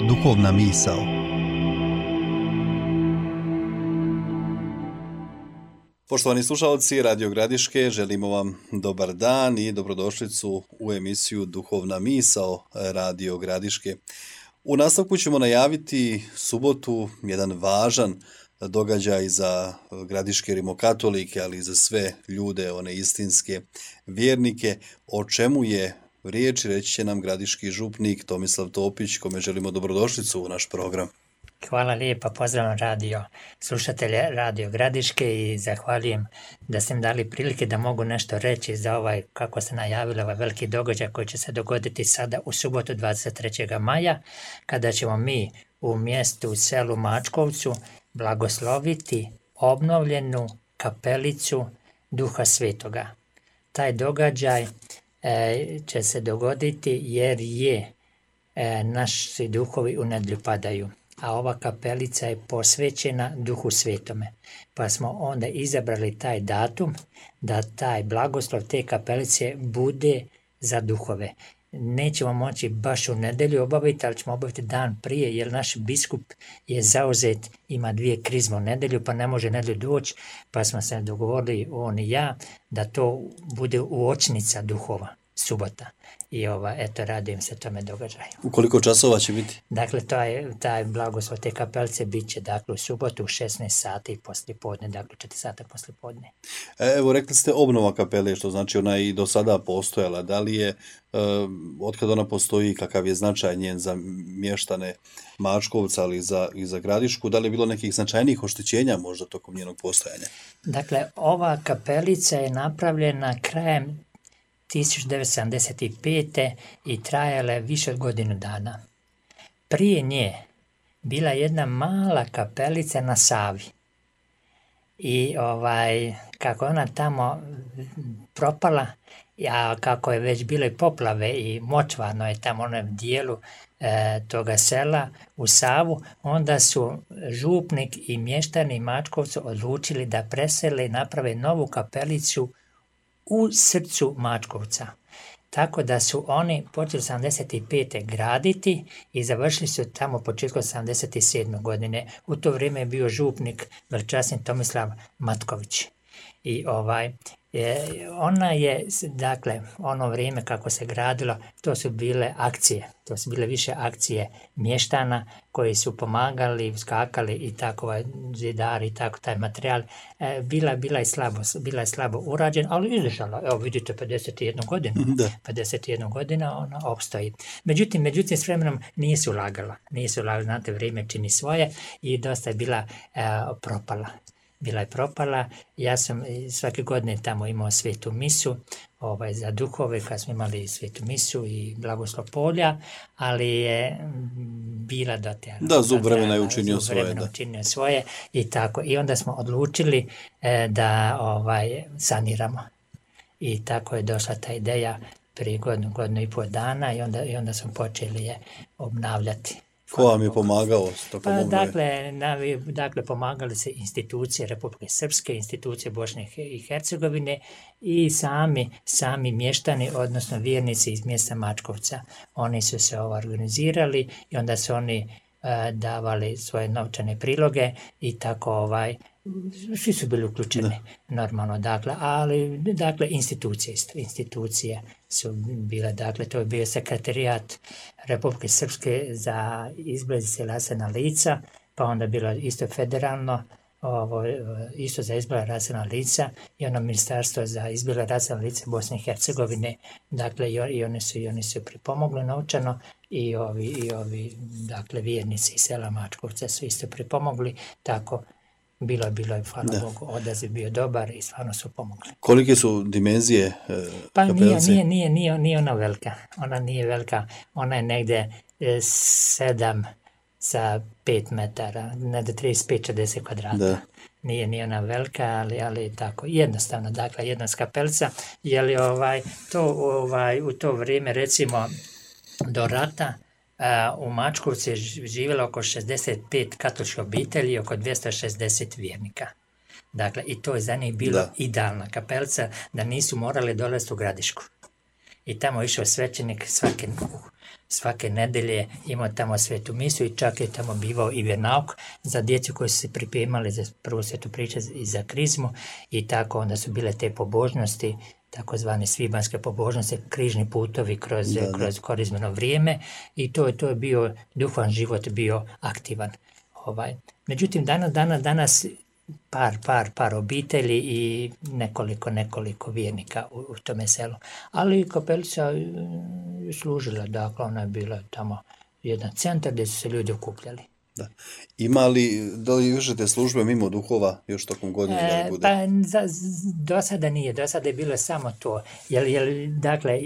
Duhovna misao. Poštovani slušalci Radio Gradiške, želimo vam dobar dan i dobrodošlicu u emisiju Duhovna misao Radio Gradiške. U nastavku ćemo najaviti subotu, jedan važan događaj za gradiške rimokatolike, ali i za sve ljude, one istinske vjernike. O čemu je riječ, reći će nam gradiški župnik Tomislav Topić, kome želimo dobrodošlicu u naš program. Hvala lijepa, pozdravljam slušatelje Radio Gradiške i zahvaljujem da ste mi dali prilike da mogu nešto reći za kako ste najavili, veliki događaj koji će se dogoditi sada u subotu 23. maja, kada ćemo mi u mjestu, u selu Mačkovcu, blagosloviti obnovljenu kapelicu Duha Svetoga. Taj događaj će se dogoditi jer naši duhovi u nedjelju padaju, a ova kapelica je posvećena Duhu Svetome. Pa smo onda izabrali taj datum da taj blagoslov te kapelice bude za duhove. Nećemo moći baš u nedjelju obaviti, ali ćemo obaviti dan prije, jer naš biskup je zauzet, ima 2 krizme u nedjelju, pa ne može nedjelju doći, pa smo se dogovorili, on i ja, da to bude uočnica duhova, subota. I radujem se tome događaju. U koliko časova će biti? Dakle, taj blagoslov te kapelice bit će u subotu u 16 sati poslijepodne, 4 sata poslijepodne. Evo, rekli ste obnova kapele, što znači ona i do sada postojala. Da li je, otkad ona postoji, kakav je značaj njen za mještane Mačkovca, ali i za Gradišku, da li je bilo nekih značajnijih oštećenja možda tokom njenog postojanja? Dakle, ova kapelica je napravljena krajem 1975. i trajala je više od godinu dana. Prije nje bila jedna mala kapelica na Savi. I kako ona tamo propala, a kako je već bile poplave i močvarno je tamo onom dijelu toga sela u Savu, onda su župnik i mještani Mačkovcu odlučili da presele i naprave novu kapelicu u srcu Mačkovca. Tako da su oni počeli 75. graditi i završili su tamo početkom 77. godine. U to vrijeme je bio župnik veličasni Tomislav Matković. I ona je, ono vrijeme kako se gradilo, to su bile više akcije mještana koji su pomagali, skakali i tako, zidari i tako, taj materijal. Bila je slabo urađena, ali izdržala. Evo vidite, 51 godinu. 51 godina ona opstoji. Međutim, s vremenom nisu ulagali, znate, vrijeme čini svoje i dosta je bila propala. Bila je propala, ja sam svake godine tamo imao svetu misu za duhove, kad smo imali svetu misu i blagoslov polja, ali je bila dotjerana. Da, zub vremena je učinio svoje i tako. I onda smo odlučili da saniramo. I tako je došla ta ideja prije godinu i pol dana i onda smo počeli je obnavljati. Ko vam je pomagao? Dakle, pomagali se institucije Republike Srpske, institucije Bosne i Hercegovine i sami mještani, odnosno vjernici iz mjesta Mačkovca. Oni su se organizirali i onda su oni davali svoje novčane priloge i tako svi su bili uključeni normalno, ali institucije su bile, to je bio sekretarijat Republike Srpske za izgled rasna lica, pa onda bilo isto federalno, isto za izgled rasna lica i ono ministarstvo za izgled rasna lica Bosne i Hercegovine, i oni su pripomogli novčano i ovi vjernici iz sela Mačkovca su isto pripomogli, tako. Bilo je, hvala Bogu, odaziv bio dobar i stvarno su pomogli. Kolike su dimenzije kapelice? Nije ona velika. Ona nije velika. Ona je negdje 7 sa 5 metara, negdje 35-40 kvadrata. Da. Nije ona velika, ali tako, jednostavno, jedna kapelica. Je u to vrijeme, recimo, do rata, u Mačkovcu je živjelo oko 65 katoličkih obitelji i oko 260 vjernika. Dakle, i to je za njih bila idealna kapelica, da nisu morali dolaziti u Gradišku. I tamo je išao svećenik svake nedelje imao tamo svetu misu i čak je tamo bivao i vjernauk za djecu koji su se pripremali za prvu svetu priču i za krizmu i tako onda su bile te pobožnosti, takozvane svibanjske pobožnosti, križni putovi kroz korizmeno vrijeme i to je bio, duhovan život bio aktivan. Međutim, danas par obitelji i nekoliko vjernika u tome selu. Ali kapelica je služila, dakle ona je bila tamo jedan centar gdje su se ljudi okupljali. Da. Ima li, da li vršite službe mimo duhova još tokom godine? Da li bude? Pa do sada nije, do sada je bilo samo to. Dakle,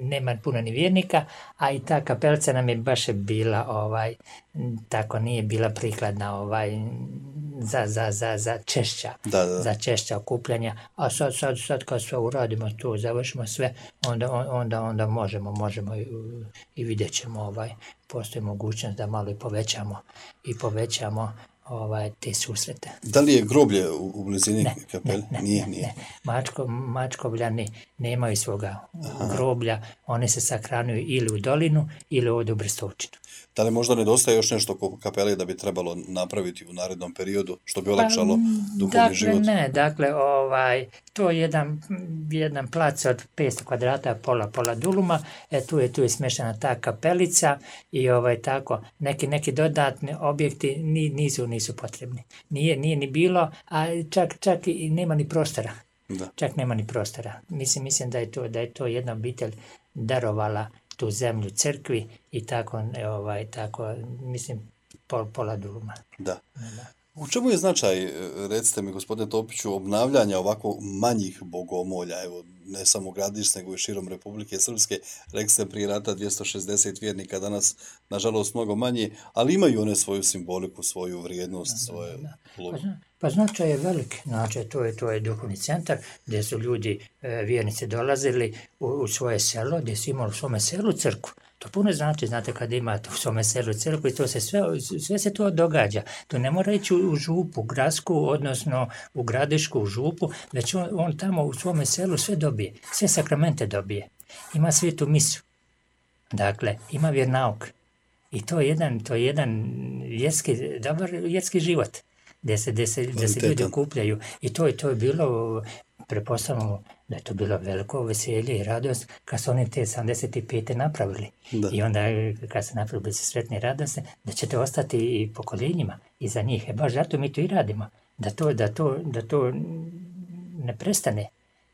nema puno ni vjernika, a i ta kapelica nam je baš bila, tako nije bila prikladna za češća, za češća okupljanja. A sad kad sve uradimo to, završimo sve, onda možemo i vidjet ćemo, postoji mogućnost da malo i povećamo te susrete. Da li je groblje u blizini kapelje? Ne. Mačkovljani nemaju svoga groblja, oni se sahranjuju ili u dolinu ili ovdje u Brestovčinu. Da li možda nedostaje još nešto oko kapele da bi trebalo napraviti u narednom periodu, što bi olakšalo duhovni život? Dakle, to je jedan plac od 500 kvadrata, pola duluma, tu je smještena ta kapelica i tako, neki dodatni objekti nisu potrebni. Nije ni bilo, a čak i nema ni prostora. Da. Čak nema ni prostora. Mislim da je to jedna obitelj darovala tu zemlju crkvi i tako mislim, pola duluma. Da. U čemu je značaj, recite mi gospodine Topiću, obnavljanja ovako manjih bogomolja, evo, ne samo Gradiške, nego i širom Republike Srpske, rekli ste prije rata 260 vjernika, danas nažalost mnogo manje, ali imaju one svoju simboliku, svoju vrijednost, svoje ulogu. Pa značaj je velik, to je duhovni centar gdje su ljudi, vjernici dolazili u svoje selo, gdje su imali u svome selu crkvu. To puno znači, znate, kad imate u svome selu crkvu i to se sve se to događa. To ne mora ići u župu gradsku, odnosno u Gradišku, u župu, već on tamo u svome selu sve dobije, sve sakramente dobije. Ima svetu misu, dakle, ima vjernauk. I to je jedan dobar vjerski život, gdje se ljudi okupljaju. I to je bilo, pretpostavljamo da je to bilo veliko veselje i radost kad su oni te 75. napravili. Da. I onda kad se napravili se sretni i radosni, da će to ostati i pokoljenjima iza njih. Baš zato mi to i radimo. Da to ne prestane.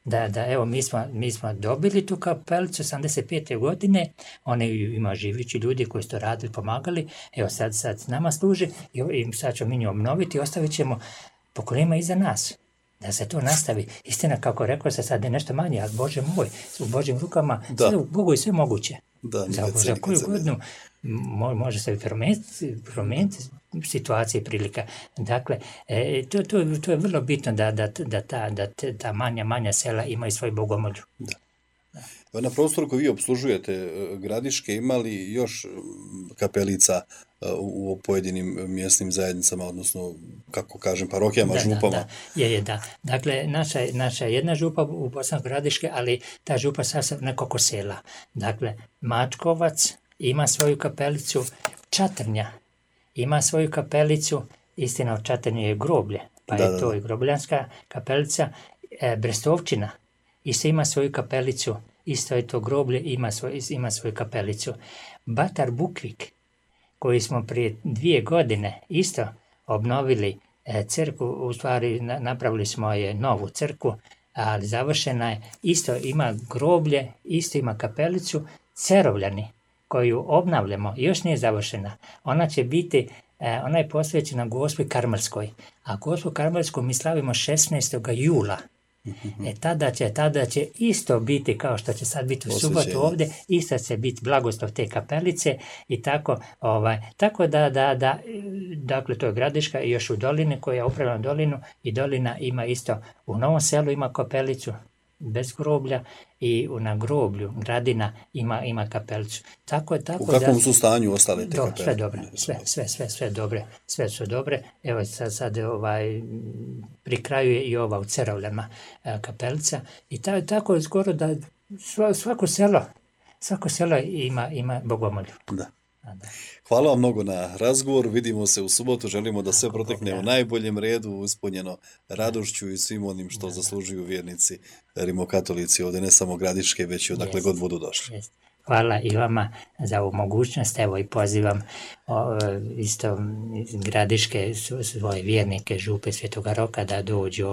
Da evo, mi smo dobili tu kapelicu 85. godine, oni ima živići ljudi koji su to radili, pomagali, evo sad s nama služi i sad ćemo mi nju obnoviti i ostavit ćemo pokoljenjima iza nas. Da se to nastavi. Istina, kako rekao se, sad je nešto manje, ali Bože moj, u Božjim rukama, sve u Bogu je sve moguće. Za koju godinu može se promijeniti situacija i prilika. Dakle, to je vrlo bitno da ta manja sela imaju svoju bogomolju. Da. Na prostoru koji vi obslužujete Gradiške, ima li još kapelica u pojedinim mjesnim zajednicama, odnosno, kako kažem, parohijama, župama? Da. Dakle, naša jedna župa u Bosanskoj Gradiške, ali ta župa sasvim nekoliko sela. Dakle, Mačkovac ima svoju kapelicu, Čatrnja ima svoju kapelicu, istina u Čatrnju je groblje, pa je to i grobljanska kapelica. Brestovčina isto ima svoju kapelicu, isto je to groblje, ima svoju kapelicu. Batar Bukvik, koji smo prije 2 godine isto obnovili crkvu, u stvari napravili smo je novu crkvu, ali završena je, isto ima groblje, isto ima kapelicu, Cerovljani, koju obnavljamo, još nije završena. Ona će biti, ona je posvećena Gospi Karmelskoj, a Gospu Karmelsku mi slavimo 16. jula. Tada će isto biti kao što će sad biti u subotu ovdje, isto će biti blagoslov te kapelice i tako, tako da, dakle to je Gradiška i još u dolini koja upravlja dolinu i dolina ima isto, u Novom Selu ima kapelicu bez groblja i na groblju Gradina ima kapelicu. Tako u kakvom su stanju ostale te kapelice? Sve dobre, sve su dobre. Evo sad pri kraju je i ova u Cerovljama kapelica i tako je skoro da svako selo Svako selo ima bogomolju. Da. Da. Hvala vam mnogo na razgovor, vidimo se u subotu, želimo da sve protekne u najboljem redu, ispunjeno radošću i svim onim što zaslužuju vjernici rimokatolici ovdje, ne samo Gradiške, već i odakle god budu došli. Hvala i vama za ovu mogućnost, evo i pozivam isto Gradiške svoje vjernike Župe Svetoga Roka da dođu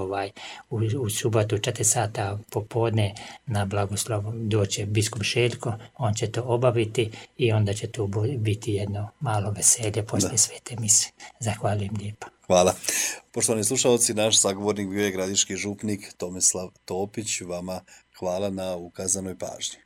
u subotu 4 sata popodne na blagoslov, doće biskup Šeljko, on će to obaviti i onda će to biti jedno malo veselje poslije svete mise. Zahvaljujem lijepo. Hvala. Poštovani slušalci, naš sagovornik bio je gradiški župnik Tomislav Topić, vama hvala na ukazanoj pažnji.